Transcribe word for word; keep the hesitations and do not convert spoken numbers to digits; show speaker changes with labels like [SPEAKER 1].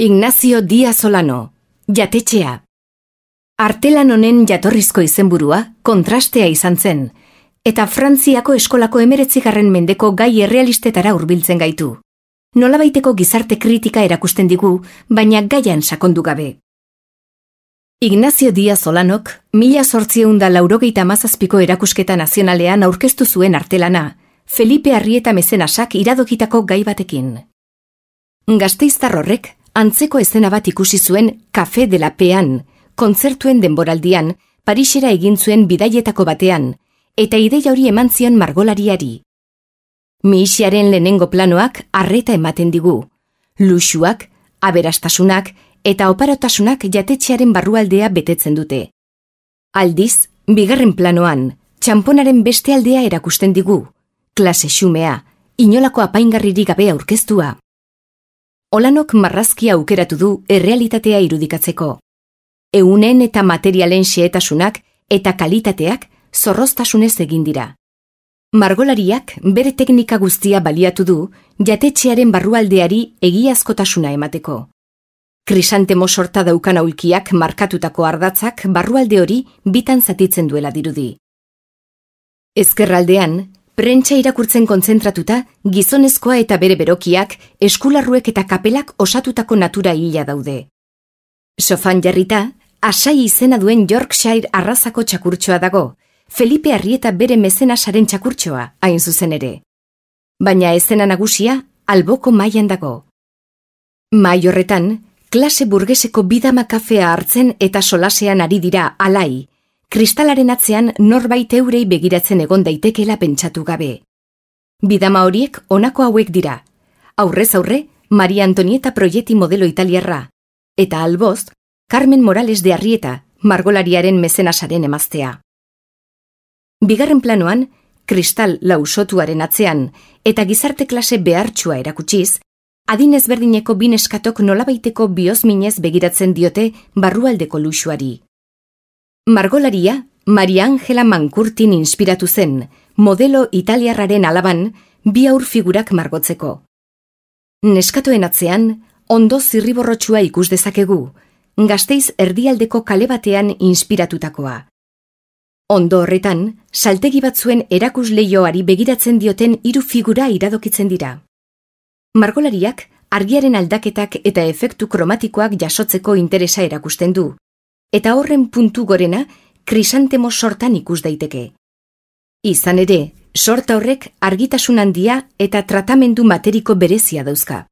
[SPEAKER 1] Ignacio Díaz Olano, Jatetxea. Artelan honen jatorrizko izenburua kontrastea izan zen, eta Frantziako eskolako emeretzigarren mendeko gai errealistetara hurbiltzen gaitu. Nolabaiteko gizarte kritika erakusten digu, baina gaian sakondu gabe. Ignacio Díaz Olanok, mila zortziehun eta laurogeita hamazazpiko erakusketa nazionalean aurkeztu zuen artelana, Felipe Arrieta mezenasak iradokitako gai batekin. Gasteiztar horrek, antzeko eszena bat ikusi zuen Café de la Pean, kontzertuen denboraldian, Parisera egin zuen bidaietako batean, eta ideia hori eman zion margolariari. Mihixiaren lehenengo planoak arreta ematen digu. Luxuak, aberastasunak eta oparotasunak jatetxearen barrualdea betetzen dute. Aldiz, bigarren planoan, txamponaren beste aldea erakusten digu. Klase xumea, inolako apaingarririk gabe aurkeztua. Olanok marrazkia aukeratu du errealitatea irudikatzeko. Ehunen eta materialen xehetasunak eta kalitateak zorroztasunez egin dira. Margolariak bere teknika guztia baliatu du jatetxearen barrualdeari egiazkotasuna emateko. Krisantemo sorta daukan aulkiak markatutako ardatzak barrualde hori bitan zatitzen duela dirudi. Ezkerraldean, prentsa irakurtzen kontzentratuta, gizonezkoa eta bere berokiak, eskularruek eta kapelak osatutako natura hila daude. Sofan jarrita, Asai izena duen Yorkshire arrazako txakurtxoa dago, Felipe Arrieta bere mezenasaren txakurtxoa, hain zuzen ere. Baina ezena nagusia, alboko mailan dago. Mai horretan, klase burgeseko bidama kafea hartzen eta solasean ari dira alai, kristalaren atzean norbait eurei begiratzen egon daitekela pentsatu gabe. Bidama horiek honako hauek dira. Aurrez aurre, Maria Antonieta Proietti modelo italiarra, eta alboz, Carmen Morales de Arrieta, margolariaren mezenasaren emaztea. Bigarren planoan, kristal lausotuaren atzean eta gizarte klase behartsua erakutsiz, adin ezberdineko bi neskatok nolabaiteko bihozminez begiratzen diote barrualdeko luxuari. Margolaria, Maria Angela Mankurtin inspiratu zen, modelo italiarraren alaban, bi aur figurak margotzeko. Neskatoen atzean, ondo zirriborrotxua ikus dezakegu, Gasteiz erdialdeko kale batean inspiratutakoa. Ondo horretan, saltegi batzuen erakusleioari begiratzen dioten hiru figura iradokitzen dira. Margolariak, argiaren aldaketak eta efektu kromatikoak jasotzeko interesa erakusten du, eta horren puntu gorena krisantemo sortan ikus daiteke. Izan ere, sorta horrek argitasun handia eta tratamendu materiko berezia dauzka.